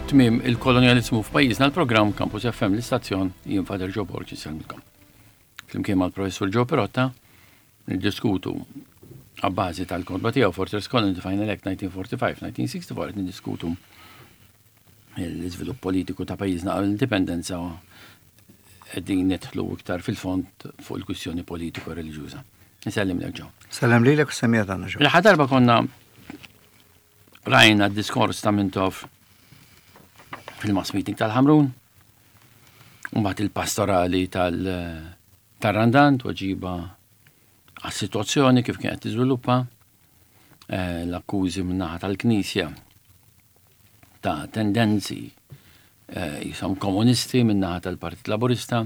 Tmiem il-kolonjalizmu f'pajjiżna l-programm Campus FM l-istazzjon jien Father Joe Borg insellmilkom. Flimkien mal-Professur Joe Perotta niddiskutu għabbażi tal-kotba tiegħu Fortress Colony the Final Act 1945-1964 qed niddiskutu l-iżvilupp politiku ta' pajjiżna għal indipendenza qegħdin nidħlu iktar fil-fond fuq il-kwistjoni politiku reliġjuża. Nsellim lek ġew. Sellem lilek u semmija tagħna ġew. L-aħħar darba konna rajna d-diskors ta' Mintoff fil-mass meeting tal-Ħamrun, u mbagħad il-pastorali tal-Randan tweġiba għas-sitwazzjoni kif kienet tiżviluppa, eh, l-akkużi min-naħa tal-Knisja ta' tendenzi eh, jisom komunisti min-naħa tal-Partit Laburista,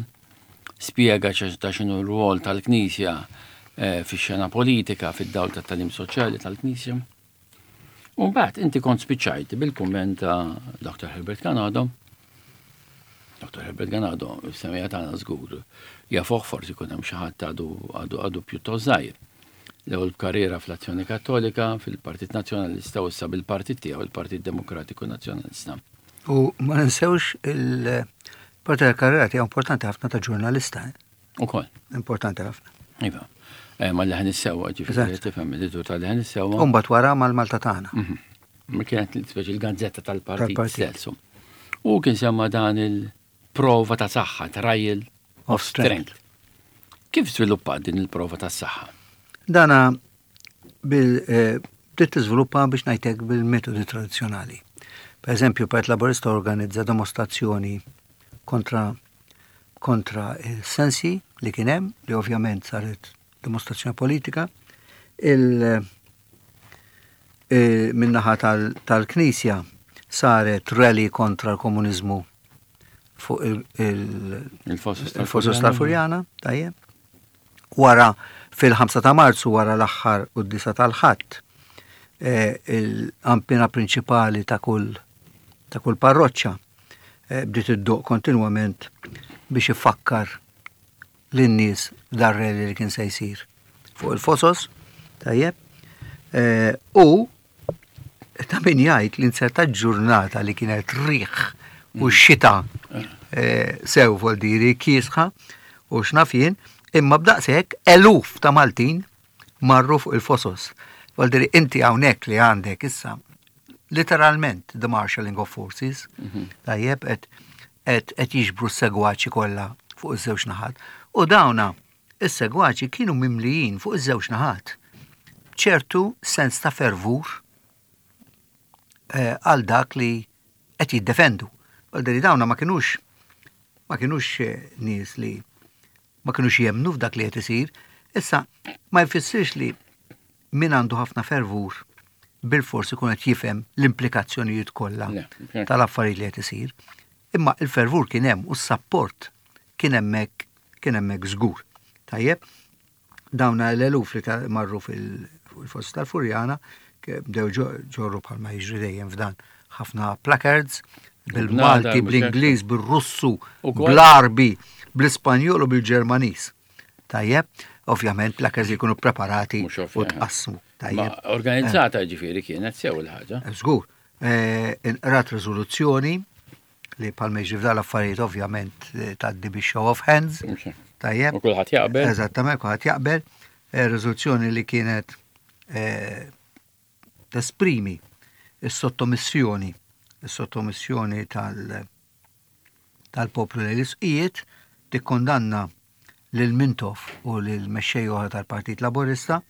spjega ta' xinu r-rwol tal-Knisja eh, fix-xena politika fid-dawl tat-talim soċjali tal-Knisja. U mbagħad inti kont spiċċajt bil-kumment ta' Dr. Herbert Ganado. Dr. Herbert Ganado, semija tagħna żgur, jafuh forsi jkun hemm xi ħadd għadu għadu għadu pjuttost żgħir. L-ewwel b'karriera fl-Azzjoni Kattolika, fil-Partit Nazzjonalista u issa bil-partit tiegħu il-Partit Demokratiku Nazzjonalista. U ma ninsewx il-parti tal-karriera tiegħu importanti ħafna ta' ġurnalista. Eh? Ukoll. Importanti ħafna. Iva. Eh, ma leħen is-sewwa, ġifieri tifhem editur ta' leħen is-sewwa. Umbagħad wara mal-Malta tagħna. Mhm. Ma kienet speċi l-gazzetta tal-partit stess. U kien semma dan il-prova ta' saħħa, trial of strength. Kif żviluppat din il-prova ta' saħħa? Dana bil eh, bdiet tiżviluppa biex ngħidlek bil-metodi tradizzjonali. Per eżempju, Partit Laburista organizza dimostrazzjoni kontra kontra il-sensi li kien hemm, li ovvjament saret dimostrazzjoni politika, il e, minnaħa tal-Knisja saret rally kontra l-komuniżmu fuq il-fosos tal-Furjana, tajjeb. Wara fil-5 ta' Marzu wara l-aħħar quddisa tal-Ħadd, e, il-qampina prinċipali ta' kull ta' kull parroċċa eh, bdiet iddoq kontinwament biex ifakkar lin-nies dar-rally li kien se jsir fuq il-fosos, tajjeb. Eh, u ta' min jgħid li nserta ġurnata li kienet riħ u mm. xita eh, sew voldiri kiesħa u xnaf jien, imma b'daqshekk eluf ta' Maltin marru fuq il-fosos. Voldiri inti hawnhekk li għandek issa literalment the marshalling of forces, mhm. tajjeb, qed jiġbru s-segwaċi kollha fuq iż-żewġ naħat. U dawna is-segwaċi kienu mimlijin fuq iż-żewġ naħat. ċertu sens ta' fervur eh, għal dak li qed jiddefendu. Għal dawna ma kienux ma kienux eh, nies li ma kinux jemmnu f'dak li qed isir. Issa, ma jfissirx li min għandu ħafna fervur bilfors ikun qed jifhem l-implikazzjonijiet kollha tal-affarijiet li qed isir. Imma il-fervur kien hemm u s-sapport kien hemmhekk kien hemmhekk żgur. Tajjeb, dawna l-eluf li marru fil-fost tal-Furjana bdew ġorru bħalma jiġri dejjem f'dan ħafna placards bil-Malti, bl-Ingliż, bil-Russu, bl-Arbi, bl-Ispanjol u bil-Ġermaniż. Tajjeb, ovvjament placards jkunu preparati u tqassmu. Tajjeb. Organizzata eh. ġifieri kienet sew il-ħaġa. Eh, żgur. Eh, inqrat riżoluzzjoni li palma jiġri f'dan l-affarijiet ovvjament eh, tgħaddi bi show of hands. Tajjeb. U kulħadd jaqbel. Eżattament, kulħadd jaqbel. Eh, riżoluzzjoni li kienet eh, tesprimi s-sottomissjoni, is-sottomissjoni tal- tal-poplu lejn l-isqijiet, tikkondanna lil Mintoff u lil mexxej oħra tal-Partit Laburista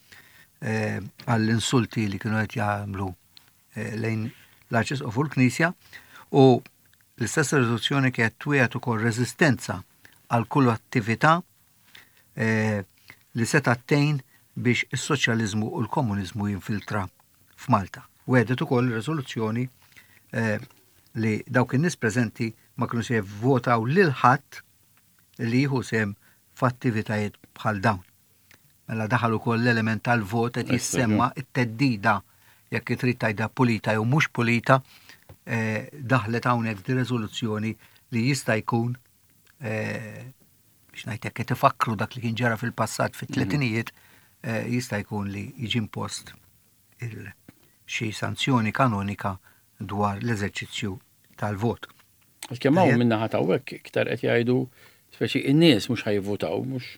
għall-insulti li kienu qed jagħmlu Eh, lejn l-Arċisqof u l-Knisja u l-istess riżoluzzjoni kienet twiegħed ukoll reżistenza għal kull attività eh, li seta' tgħin biex is-soċjaliżmu u l-komuniżmu jinfiltra f'Malta. Wegħdet ukoll riżoluzzjoni eh, li dawk in-nies preżenti ma kienu se jivvotaw lil ħadd li jieħu sehem f'attivitajiet bħal dawn. Mela daħal ukoll l-element tal-vot qed jissemma t-theddida jekk trid tgħidha pulita jew mhux pulita eh, daħlet hawnhekk di riżoluzzjoni li jista' jkun eh, biex ngħid hekk qed ifakkru dak li kien ġara fil-passat fit-tletinijiet eh, jista' jkun li jiġi impost xi sanzjoni kanonika dwar l-eżerċizzju tal-vot. Għalkemm hawn min-naħa ta' hawnhekk iktar qed jgħidu speċi in-nies mhux ħa jivvutaw, mhux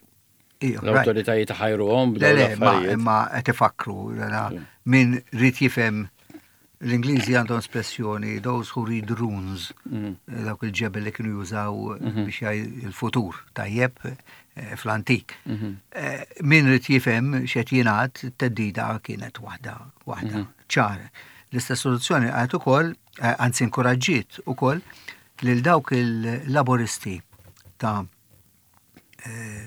l-awtoritajiet ħajruhom b'dawn l-affarijiet. Imma qed ifakkru min rid jifhem l-Ingliżi għandhom espressjoni those who read runes, mm. dawk il-ġebel li kienu jużaw mhm. biex jgħid il-futur tajjeb eh, fl-antik. Mhm. Eh, min rid jifhem x'qed jingħad teddida kienet waħda waħda mhm. ċara. L-istess soluzzjoni għad ukoll eh, anzi inkoraġġiet ukoll lil dawk il-laboristi ta' eh,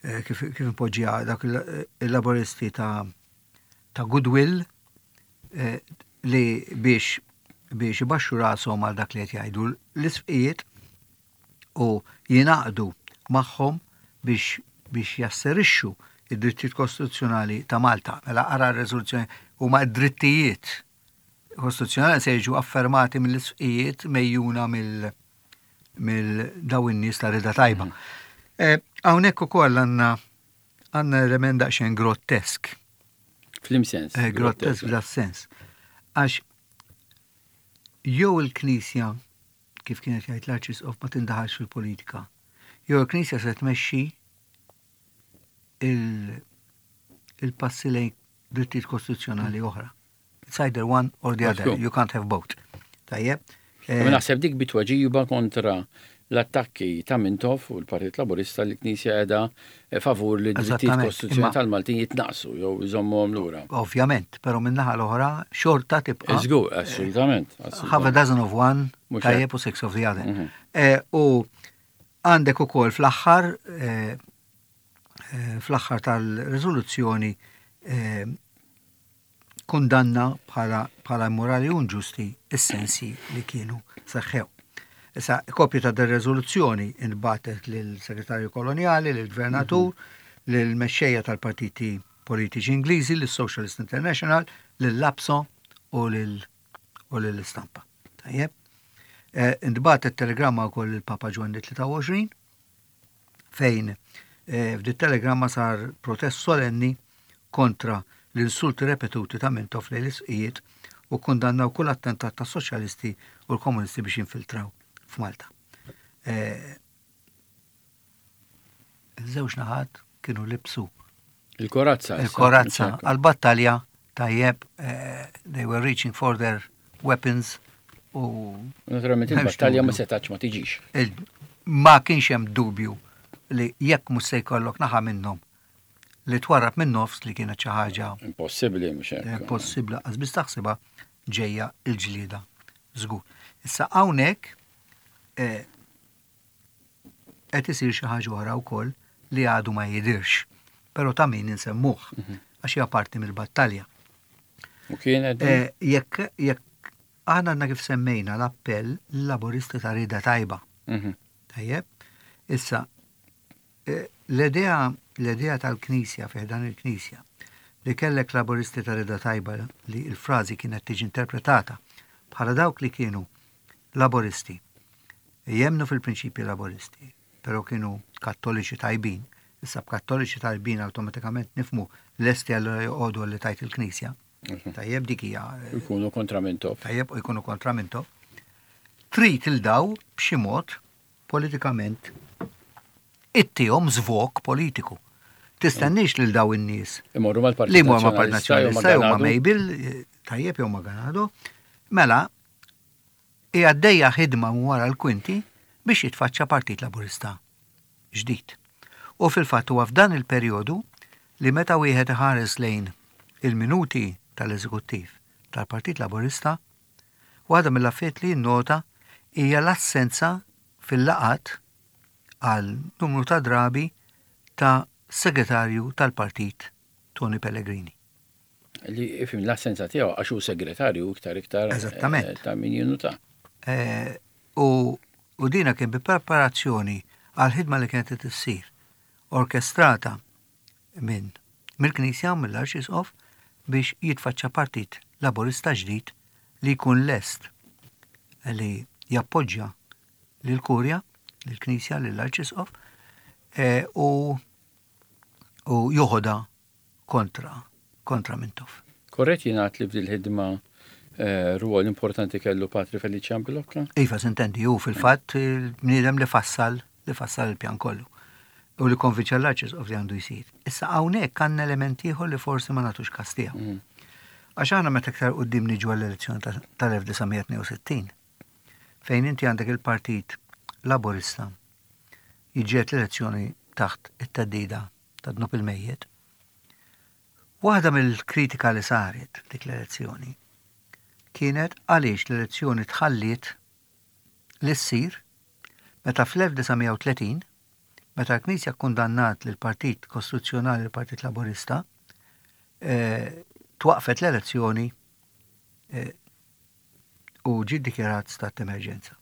eh, kif impoġġija dawk il-laboristi ta' ta' goodwill li biex biex ibaxxu rashom għal dak li qed jgħidu l-isfqijiet u jingħaqdu magħhom biex biex jasserixxu id-drittijiet kostituzzjonali ta' Malta. Mela ara r-reżoluzzjoni huma d-drittijiet kostituzzjonali se jiġu affermati mill-isfqijiet mejjuna mill mill daw in-nies ta' rida tajba. Mm. Eh, hawnhekk ukoll għandna għandna element daqsxejn grottesk. Flim sens. Eh, grottesk f'da sens. Għax jew il-Knisja kif kienet jgħid l-Arċisqof ma tindaħalx fil-politika. Jew il-Knisja se tmexxi il-passi lejn drittijiet kostituzzjonali oħra. It's either one or the other, you can't have both. Tajjeb. Eh, Ma naħseb dik bitweġiba kontra l-attakki ta' Mintoff u l-Partit Laburista li l-Knisja qiegħda eh, favur li drittijiet kostituzzjonali tal-Maltin jitnaqsu jew jżommuhom lura. Ovvjament, però min-naħa l-oħra xorta tibqa'. Żgur, assolutament. Half a dozen of one, tajjeb u six of the other. Mhm. Eh, u għandek ukoll fl-aħħar eh, fl-aħħar tal-riżoluzzjoni kundanna bħala bħala immorali u inġusti s-sensi li kienu seħħew. Issa, kopju ta' dir-reżoluzzjoni intbagħtet lill-Segretarju Kolonjali, lill-Gvernatur, mhm. lill-mexxejja tal-partiti politiċi Ingliżi, lis-Socialist International, lill-APSO u lill-Istampa. Tajjeb. Eh, intbagħtet telegramma wkoll lill-Papa Ġwanni 23 fejn eh, f'dit telegramma sar protest solenni kontra l-insulti repetuti ta' Mintoff lejn l-isqijiet u kkundannaw kull attentat ta' soċjalisti u l-komunisti biex jinfiltraw f'Malta. Eh, iż-żewġ naħat kienu libsu Il-korazza. Il-korazza għal-battalja tajjeb, eh, they were reaching for their weapons u. Naturalment il-battalja ma setax ma tiġix. Ma kienx hemm dubju li jekk mhux se jkollok naħa minnhom li twarrab minn nofs li kienet xi ħaġa. Impossibbli mhux hekk. Impossibbli qas biss taħsibha ġejja l-ġlieda żgur. Issa hawnhekk eh, qed isir xi ħaġa oħra wkoll li għadu ma jidhirx, però ta' min insemmuh mhm. għax hija parti mill-battalja. U kienet eh, jekk jekk aħna għandna kif semmejna l-appell l-laboristi ta' rida tajba. Mhm. Tajjeb, issa L-idea l-idea tal-Knisja fi ħdan il-Knisja li kellek Laburisti ta' rieda tajba li l-frażi kienet tiġi interpretata bħala dawk li kienu Laburisti jemmnu fil-prinċipji Laburisti, però kienu Kattoliċi tajbin. Issa b'Kattoliċi tajbin awtomatikament nifhmu lesti allura joqogħdu għal li tgħid il-Knisja. Mhm. Tajjeb dik hija. Jkunu kontra Mintoff. Tajjeb u jkunu kontra Mintoff. Trid il daw b'xi mod politikament ittihom żvog politiku. Tistenniex lil daw in-nies. Imorru mal-Partit Li imorru mal-Partit Nazzjonalista jew ma' Mabel, tajjeb jew ma' Ganado. Mela, hija għaddejja ħidma minn wara l-kwinti biex jitfaċċa Partit Laburista ġdid. U fil-fatt huwa f'dan il-perjodu li meta wieħed iħares lejn il-minuti tal-Eżekuttiv tal-Partit Laburista, Waħda mill-affarijiet li jinnota hija l-assenza fil-laqgħat għal numru ta' drabi ta' segretarju tal-partit Tony Pellegrini. Li ifim l-assenza tiegħu għax hu segretarju iktar iktar eh, Eżattament. ta' min jinuta. Eh, u, u dina kien bi preparazzjoni għal ħidma li kienet qed issir orkestrata minn mill-Knisja u mill-Arċisqof biex jitfaċċa Partit Laburista ġdid li jkun lest li jappoġġja lill-Kurja, lill-Knisja, lill-Arċisqof e, u u joħodha kontra kontra Mintoff. Korrett jingħad li f'dil-ħidma Rwol importanti kellu Patri Felician Bilocca? Iva, sintendi, hu fil-fatt il-bniedem li fassal li fassal il-pjan kollu u li konvinċa l-Arċisqof li għandu jsir. Issa hawnhekk għandna element ieħor li forsi ma nagħtux każ tiegħu. Għax aħna meta iktar quddiem niġu għall-elezzjoni tal-1962, fejn inti għandek il-Partit Laburista jiġġieled l-elezzjoni taħt it-theddida ta' dnub il-mejjet, Waħda mill-kritika li saret f'dik l-elezzjoni kienet għaliex l-elezzjoni tħalliet li ssir meta fl-1930, meta l-Knisja kkundannat lill-Partit Kostituzzjonali l-Partit Laburista, twaqqfet l-elezzjoni u ġie ddikjarat stat t'emerġenza.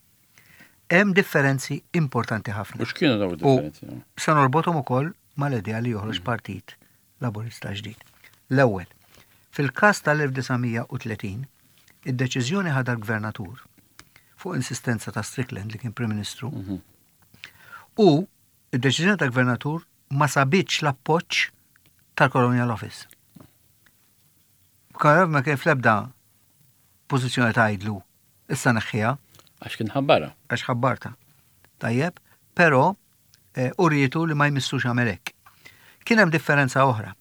Hemm differenzi importanti ħafna. U x'kienu dawn id-differenzi? Se norbothom ukoll mal-idea li joħroġ partit Laburista ġdid. L-ewwel, fil-każ tal-1930, id-deċiżjoni ħadha l-Gvernatur fuq insistenza ta' Strickland li kien Prim Ministru u id-deċiżjoni tal-Gvernatur ma sabitx l-appoġġ tal-Colonial Office. Colonial ma kien fl-ebda pożizzjoni tgħidlu issa neħħiha. Għax kien ħabbarha. Għax ħabbarta. Tajjeb, però eh, urietu li ma jmissux għamel hekk. Kien hemm differenza oħra.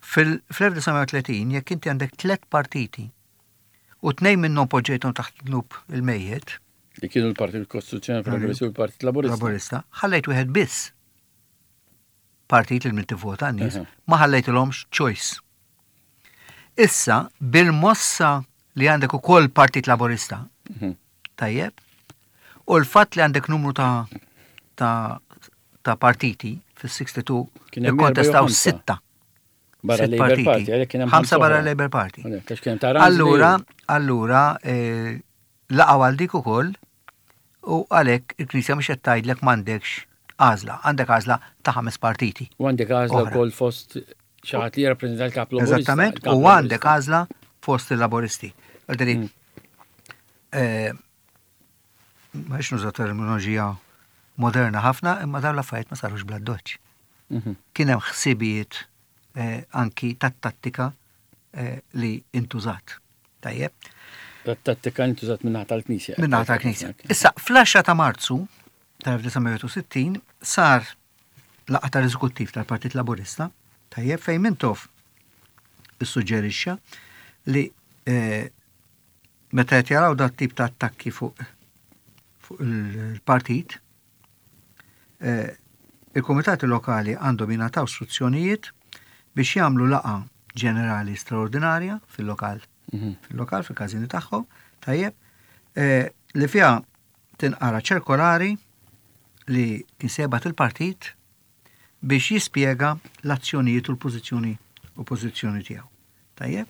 Fil-1930 jekk inti għandek tlet partiti u tnejn minnhom poġġejthom taħt dnub il-mejjet. Li kienu l-Partit Kostituzzjonali Progressiv u l-Partit Laburista. Laburista, ħallejt wieħed biss partit li min tivvota n-nies, ma ħallejtilhomx choice. Issa, bil-mossa li għandek ukoll Partit Laburista, mhm. tajjeb, u l-fatt li għandek numru ta' ta' ta' partiti fis-62 ikkontestaw sitta. Barra Labour Party, għalhekk kien hemm ħamsa barra Labour Party. Allura, allura eh, laqgħu għal dik ukoll u għalhekk il-Knisja mhux qed tgħidlek m'għandekx għażla, għandek għażla ta' ħames partiti. U għandek għażla wkoll fost xi ħadd li jirrappreżenta l-kap Laburista. Eżattament, u għandek għażla fost il-Laburisti. Għalderi, mm. eh, ma rridx nuża terminoloġija moderna ħafna, imma dawn l-affarijiet ma sarux bla doċ. Mhm. Kien hemm ħsibijiet eh, anki tat-tattika eh, li intużat. Tajjeb. Tat-tattika intużat minnaħa tal-Knisja. Minnaħa tal-Knisja. Issa, fl-10 ta' Marzu tal-1961 sar laqgħa tal-Eżekuttiv tal-Partit Laburista, tajjeb, fejn Mintoff issuġġerixxa li eh, meta qed jaraw dat tip ta' attakki fuq fuq il-partit, eh, il-komitati lokali għandhom jingħataw istruzzjonijiet biex jagħmlu laqa ġenerali straordinarja fil-lokal, mhm. fil-lokal, fil-każini tagħhom, tajjeb, eh, li fiha tinqara ċirkolari li kien sebat il-partit biex jispjega l-azzjonijiet u l-pożizzjoni u pożizzjoni tiegħu. Tajjeb?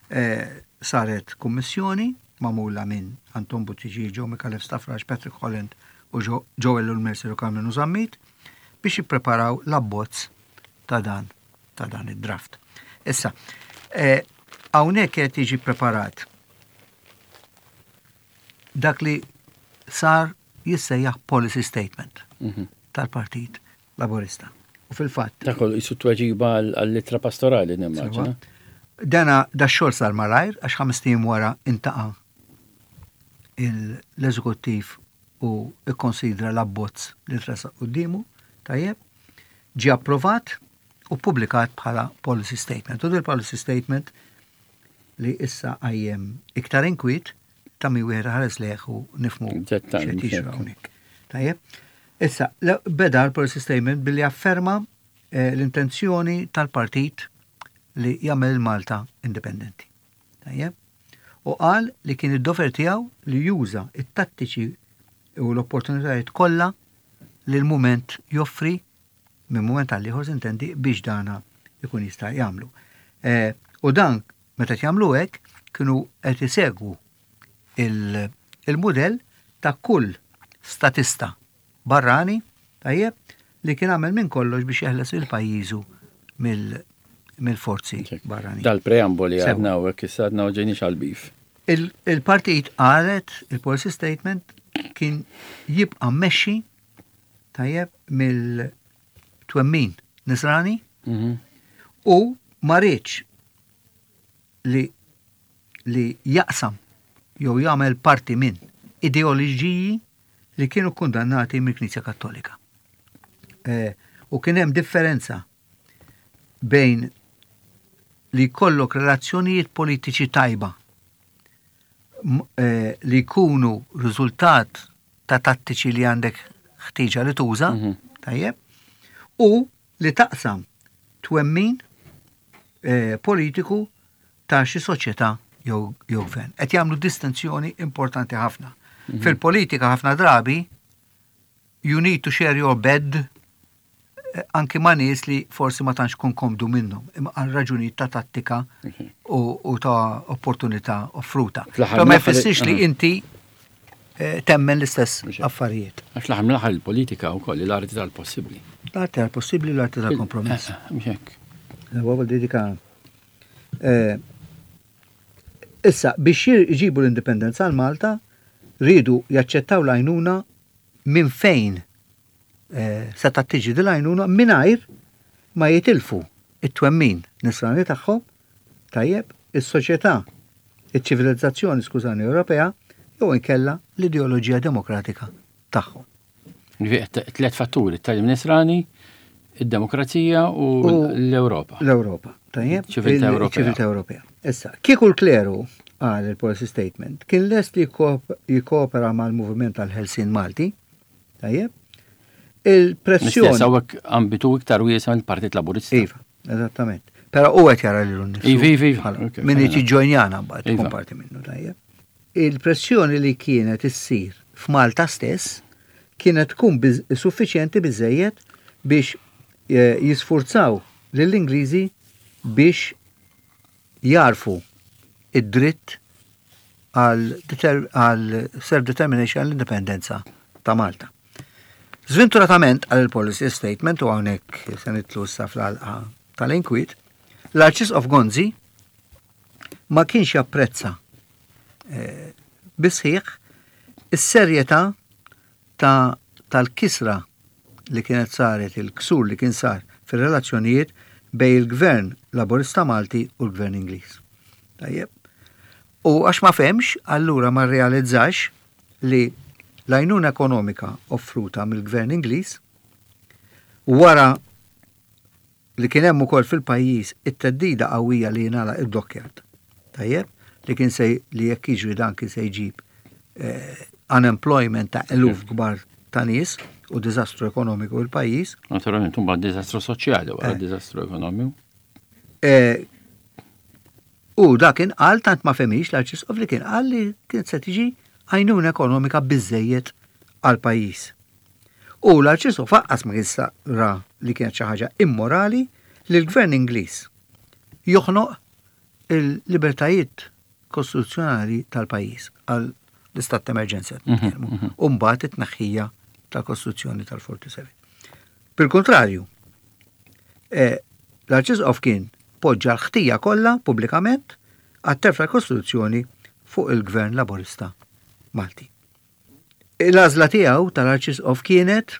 Eh, saret kummissjoni magħmula minn Anton Buttigieg, Joe Micallef Stafrace, Patrick Holland u Joel Mercer u Carmenu Zammit biex jippreparaw l-abbozz ta' dan ta' dan id-draft. Issa, eh, hawnhekk qed jiġi preparat dak li sar jissejjaħ policy statement mhm. tal-Partit Laburista. U fil-fatt. Dak kollu jisu tweġiba għall-ittra pastorali nimmaġina. Dana da xogħol sar malajr għax ħames tim wara intaqa' l-eżekuttiv u ikkonsidra l-abbozz li tressaq quddiemu, tajjeb, ġie approvat u publikat bħala policy statement. U dil policy statement li issa għajjem iktar inkwiet ta' min wieħed ħares lejh u nifmu x'qed jiġri hawnhekk. Tajjeb. Issa, beda l-policy statement billi afferma eh, l-intenzjoni tal-partit li jagħmel Malta indipendenti. Tajjeb. U qal li kien id-dover tiegħu li juża it-tattiċi u l-opportunitajiet kollha li l-mument joffri minn mument għal ieħor sintendi biex dana ikun jista' jagħmlu. Eh, u dan Meta qed jagħmlu hekk, kienu qed isegwu il-mudell ta' kull statista barrani, tajjeb, li kien għamel minn kollox biex jeħles lil pajjiżu mill-forzi barranin. Dal-preamboli għadna u hekk issa għadna u ġejniex għall-bif. Il-partit qalet, il-policy statement kien jibqa' mmexxi tajjeb mill-twemmin nisrani mhm. u ma riedx li li jaqsam jew jagħmel parti minn ideoloġiji li kienu kundannati mill-Knisja Kattolika. Eh, u kien hemm differenza bejn li jkollok relazzjonijiet politiċi tajba eh, li jkunu riżultat ta' tattiċi li għandek ħtieġa li tuża, mhm. tajjeb, u li taqsam twemmin eh, politiku ta' xi soċjetà jew gvern. Qed jagħmlu distinzjoni importanti ħafna. Mhm. Fil-politika ħafna drabi you need to share your bed eh, anki ma' nies li forsi ma tantx kun komdu minnhom, imma għal raġunijiet ta' tattika mhm. u ta' opportunità offruta. Però ma jfissirx li inti eh, temmen l-istess affarijiet. Għax l-aħħar mill-aħħar il-politika wkoll l-arti tal-possibbli. L-arti tal-possibbli, l-arti tal-kompromess. Eh, mhux hekk. Huwa dedika Issa, biex jġibu l-indipendenza għal Malta, riedu jaċċettaw l-għajnuna minn fejn setgħet tiġi din l-għajnuna mingħajr ma jitilfu it-twemmin nisrani tagħhom, tajjeb, is-soċjetà, iċ-ċivilizzazzjoni, skużani, Ewropea, jew inkella l-ideoloġija demokratika tagħhom. Tlet fatturi, it-tagħlim nisrani, id-demokrazija u l-Ewropa. L-Ewropa, tajjeb. Ċiviltà Ewropea. Ċiviltà Ewropea. Issa, kieku l-kleru qal il-policy statement kien lest li jikkoopera mal-moviment tal-Ħelsien Malti, tajjeb, il-pressjoni. L-istess hawnhekk ambitu iktar wiesa' mill-Partit Laburista. Iva, eżattament. Però u qed jara lilu nnifsu. Iva, iva, iva. Min irid jiġġojnjana mbagħad ikun parti minnu, tajjeb. Il-pressjoni li kienet issir f'Malta stess kienet tkun suffiċjenti biżżejjed biex eh, jisfurzaw lill-Ingliżi biex jagħrfu id-dritt għal self-determination għall-indipendenza ta' Malta. Zventuratament għal il-policy statement u hawnhekk se nitlu issa fl-għalqa tal-inkwiet, l-Arċisqof Gonzi ma kienx japprezza eh, bisħiħ is-serjetà ta' tal-kisra li kienet saret il-ksur li kien sar fir-relazzjonijiet bejn il-Gvern Laburista Malti u l-Gvern Ingliż. Tajjeb. U għax ma fehmx, allura ma rrealizzax li l-għajnuna ekonomika offruta mill-Gvern Ingliż wara li kien hemm ukoll fil-pajjiż it-theddida qawwija li jingħalaq id-dockyard. Tajjeb, li kien se li jekk jiġri dan kien se jġib eh, unemployment ta' eluf kbar ta' nies u diżastru ekonomiku l-pajjiż. Naturalment, mbagħad diżastru soċjali wara eh. diżastru ekonomiku. Eh, u da kien qal tant ma femix l-arċisqof li kien qal li kien se tiġi għajnuna ekonomika biżejjed għal pajjiż. U l-Arċisqof aqqas ma kien ra li kienet xi ħaġa immorali li l-Gvern Ingliż joħnoq il-libertajiet kostituzzjonali tal-pajjiż għal l-istat ta' emerġenza mhm, nitkellmu. Mhm. U mbagħad it-tneħħija tal-Kostituzzjoni tal-47. Bil-kontrarju, eh, l-Arċisqof kien poġġa l-ħtija kollha pubblikament għat-terf tal-Kostituzzjoni fuq il-Gvern Laburista Malti. L-għażla tiegħu tal-Arċisqof kienet,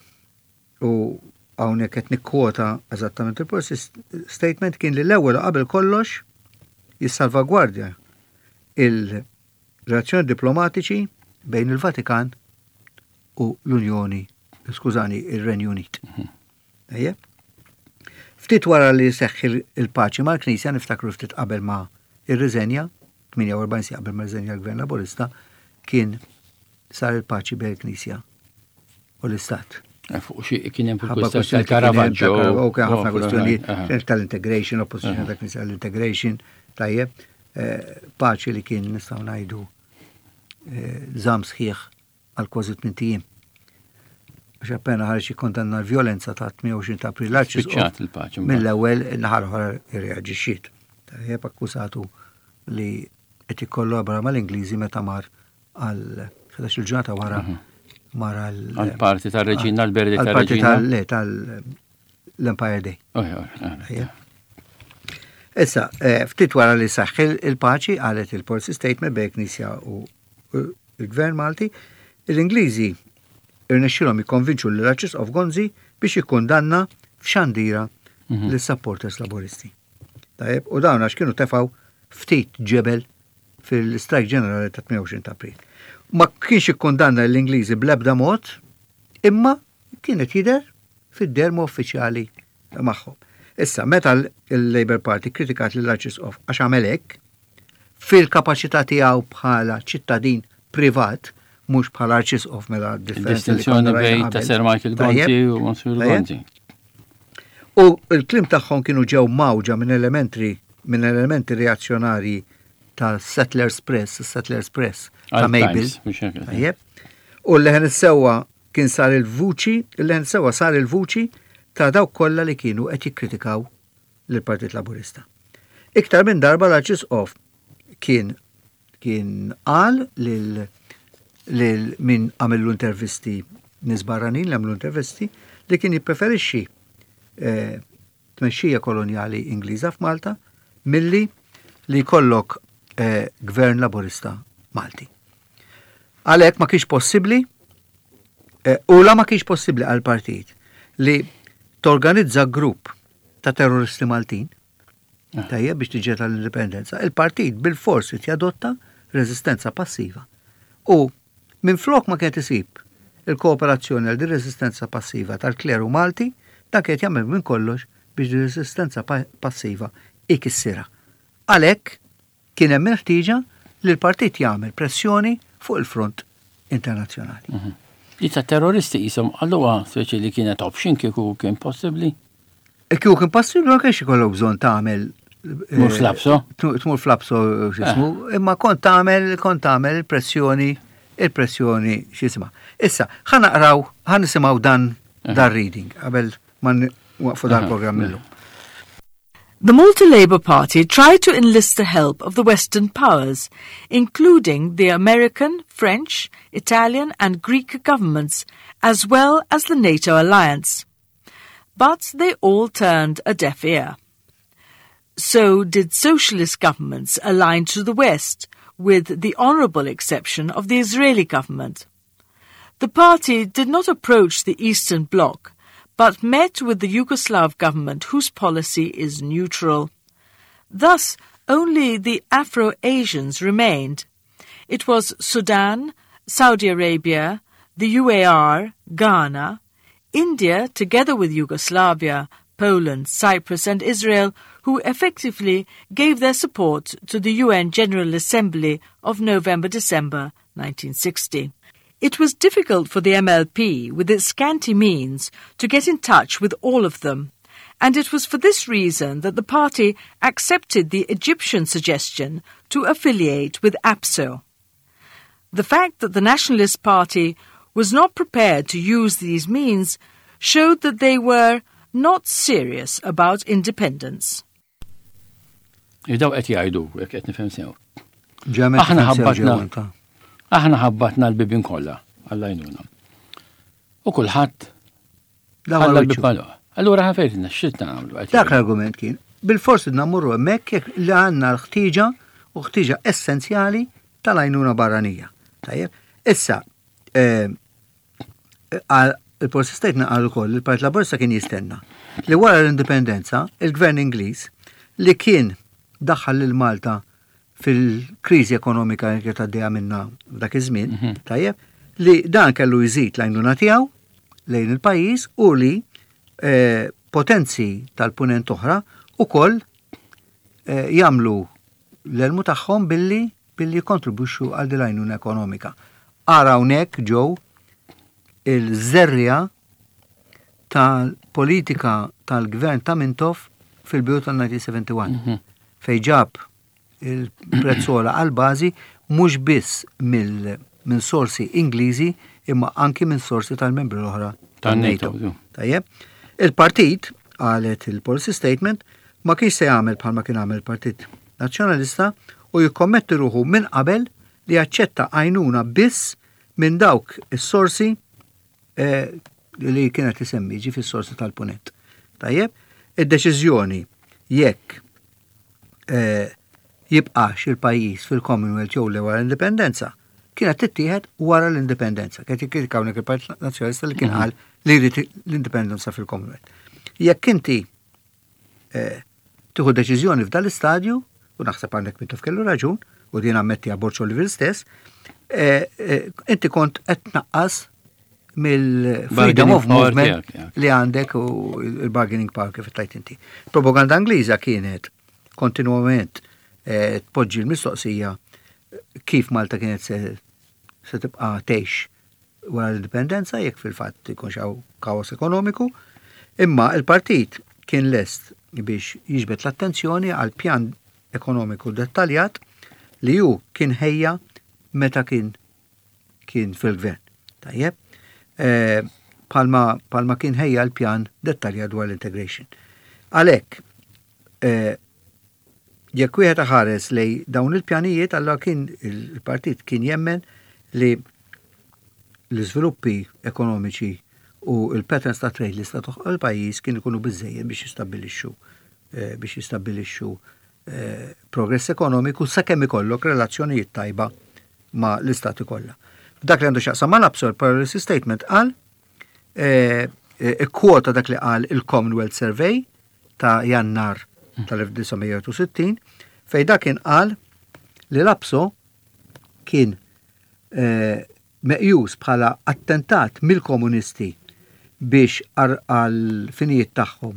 u hawnhekk qed nikkwota eżattament il-policy statement, kien li l-ewwel u qabel kollox jissalvagwardja il-relazzjoni diplomatiċi bejn il-Vatikan u l-Unjoni, skużani, ir-Renju Unit. Mhm. Ejjeb. Ftit wara li seħħ il-paċi mal-Knisja, niftakru ftit qabel ma irriżenja, 48 siegħa qabel ma rriżenja l-Gvern Laburista, kien sar il-paċi bejn il-Knisja u l-Istat. Eh, fuq xi kien hemm fil-kwistjoni tal-Caravaggio. U kien ħafna kwistjonijiet tal-integration, opposition tal-Knisja tal-integration, tajjeb, eh, paċi li kien nistgħu ngħidu eh, żamm sħiħ għal kważi tmint ijiem. Għax appena ħareġ jikkondanna l-vjolenza ta' 28 ta' April Spiċċat il-paċi. Mill-ewwel naħa l-oħra irreaġixxiet. Tajjeb akkużatu li qed jikkollabora mal-Ingliżi meta mar għal 11 il-ġurnata wara mhm. mar għal għal-parti tal-reġina, għal-berdi tal-reġina. Le, tal-Empire Day. Issa, eh, ftit wara li saħħ il-paċi qalet il-policy statement bejn Knisja u il-Gvern Malti, l-Ingliżi irnexxielhom jikkonvinċu lill-Arċisqof Gonzi biex jikkundanna f'xandira mhm. lis-supporters Laburisti. Tajjeb, u dawn għax kienu tefgħu ftit ġebel fil-strajk ġenerali ta' 28 ta' April. Ma kienx ikkundanna l-Ingliżi bl-ebda mod, imma kienet jidher fid-derma uffiċjali magħhom. Issa, meta l-Labour Party kritikat lill-Arċisqof għax għamel hekk, fil-kapaċità tiegħu bħala ċittadin privat, mhux bħala arċisqof mela differenza. Distinzjoni bejn ta' Sir Michael Gonzi u Monsignor Gonzi. U l-kliem tagħhom kienu ġew mawġa minn elementi minn elementi reazzjonarji ta' Settlers Press, Settlers Press ta' Mabel. U l-leħen is-sewwa kien sar il-vuċi, il-leħen sewwa sar il-vuċi ta' dawk kollha li kienu qed jikkritikaw lill-Partit Laburista. Iktar minn darba l-Arċisqof kien kien qal lil lil min għamillu intervisti nies barranin li għamlu intervisti li kien jippreferixxi eh, tmexxija kolonjali Ingliża f'Malta milli li jkollok eh, gvern laburista Malti. Għalhekk ma kienx possibbli eh, u la ma kienx possibbli għal partit li torganizza grupp ta' terroristi Maltin ah. tajjeb biex tiġi tal-indipendenza, il-partit bil-fors jadotta reżistenza passiva. U Minflok ma kienet isib il-kooperazzjoni għal din reżistenza passiva tal-kleru Malti, dan kienet jagħmel minn kollox biex din resistenza passiva ikissirha. Għalhekk kien hemm il-ħtieġa li l-partit jagħmel pressjoni fuq il-front internazzjonali. Mhm. Li ta' terroristi jisom għalluha speċi li kienet option kieku kien possibbli? E kieku kien possibbli ma kienx ikollok bżonn tagħmel eh, Tmur flapso? Tmur flapso x'ismu, eh. imma kont tagħmel kont tagħmel pressjoni il-pressjoni x'isma. Issa, ħa naqraw, ħa nisimgħu dan eh. dan reading qabel ma waqfu dan programm illum. The Malta Labour Party tried to enlist the help of the Western powers, including the American, French, Italian and Greek governments, as well as the NATO alliance. But they all turned a deaf ear. So did socialist governments aligned to the West, with the honourable exception of the Israeli government. The party did not approach the Eastern Bloc, but met with the Yugoslav government whose policy is neutral. Thus, only the Afro-Asians remained. It was Sudan, Saudi Arabia, the UAR, Ghana, India, together with Yugoslavia, Poland, Cyprus and Israel, who effectively gave their support to the UN General Assembly of November-December 1960. It was difficult for the MLP, with its scanty means, to get in touch with all of them, and it was for this reason that the party accepted the Egyptian suggestion to affiliate with APSO. The fact that the Nationalist Party was not prepared to use these means showed that they were not serious about independence. Daw qed jgħidu, jekk qed nifhem sew. Aħna ħabbatna. Aħna ħabbatna l-bibin kollha għall-għajnuna. U kulħadd ħalla l-bib Allura ħafejtna x'tna nagħmlu. Dak l-argument kien. Bil-forsi nammurru hemmhekk jekk li għandna l-ħtieġa u ħtieġa essenzjali tal-għajnuna barranija. Tajjeb. Issa, eh, il-Policy Statement qal ukoll li l-Partit Laburista kien jistenna li wara l-indipendenza il-Gvern Ingliż li kien daħħal lil Malta fil-kriżi ekonomika li kienet għaddejja minna f'dak iż-żmien, mhm. tajjeb, li dan kellu jżid l-għajnuna tiegħu lejn il-pajjiż u li eh, potenzi tal-punent oħra ukoll eh, jagħmlu l-elmu tagħhom billi billi jikkontribwixxu għal din l-għajnuna ekonomika. Ara hawnhekk ġew il-żerriegħa tal-politika tal-gvern ta' Mintoff fil-bidu tal-1971 mhm. fejn ġab il-prezzola għal-bażi mhux biss minn sorsi Ingliżi imma anki minn sorsi tal-membri l-oħra tan-NATO. Tajjeb. Il-partit, qalet il-policy statement, ma kienx se jagħmel bħalma kien għamel il-Partit Nazzjonalista u jikkommetti ruħu minn qabel li jaċċetta għajnuna biss minn dawk is-sorsi eh, li kienet isemmi ġi fis-sorsi tal-punent. Tajjeb, id-deċiżjoni jekk eh, jibqax il-pajjiż fil-Commonwealth jew le wara l-indipendenza kienet tittieħed wara l-indipendenza. Kienet jikkritika hawnhekk il-Partit Nazzjonalista li kien mhm. qal li jrid l-indipendenza fil-Commonwealth. Jekk inti eh, tieħu deċiżjoni f'dal istadju, u naħseb għandek Mintoff kellu raġun, u din ammettiha Borg Olivier stess, eh, eh, inti kont qed tnaqqas mill-freedom of movement li għandek u il-bargaining power kif tajt inti. Propaganda Ingliża kienet kontinuament eh, tpoġġi l-mistoqsija kif Malta kienet se, se tibqa' tgħix wara l-indipendenza jekk fil-fatt ikunx hawn kaos ekonomiku, imma il-partit kien lest biex jiġbed l-attenzjoni għal pjan ekonomiku dettaljat li hu kien ħejja meta kien kien fil-gvern. Tajjeb, eh, palma, palma kien ħejja l-pjan dettaljat dwar l-integration. Għalhekk, eh, jekk wieħed ħares lej dawn il-pjanijiet, allora kien il-partit kien jemmen li l-iżviluppi ekonomiċi u l-patterns ta' trade li sta toħloq il-pajjiż kien ikunu biżejjed biex jistabbilixxu eh, biex jistabbilixxu eh, progress ekonomiku sakemm ikollok relazzjonijiet tajba ma' l-istati kollha. Dak li għandu x'jaqsam ma' l-APSO policy statement qal eh, ikkwota dak li qal il-Commonwealth Survey ta' Jannar tal-1960 fej dak kien qal li l-APSO kien eh, meqjus bħala attentat mill-komunisti biex għal finijiet tagħhom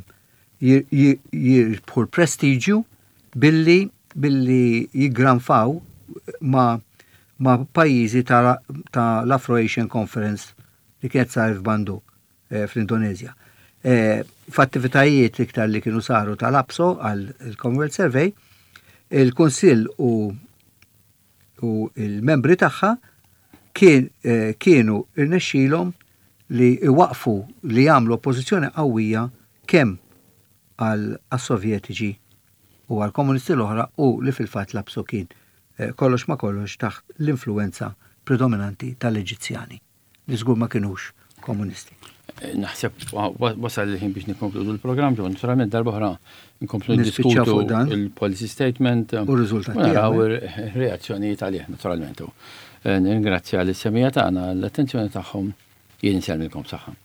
jirbħu l-prestiġju billi billi jiggranfaw ma' ma' pajjiżi ta' l-Afro-Asian Conference li kienet saret f'Bandung eh, fl-Indonezja. Eh, f'attivitajiet iktar li kienu saru tal-APSO għal Commonwealth Survey, il-Kunsill u u il-membri tagħha kien, eh, kienu irnexxilhom li iwaqfu li jagħmlu oppożizzjoni qawwija kemm għal sovjetiċi u għal komunisti l-oħra u li fil-fatt l-APSO kien eh, kollox ma kollox taħt l-influenza predominanti tal-Eġizzjani li żgur ma kinux komunisti. Eh, naħseb wasal il-ħin biex nikkonkludu l-programm, ġo naturalment darba oħra nkomplu diskutu il-policy statement u r-riżultati. Naraw ir-reazzjonijiet għalih naturalment. Eh, nirringrazzja l-semija tagħna l-attenzjoni tagħhom jien insellmilkom saħħa.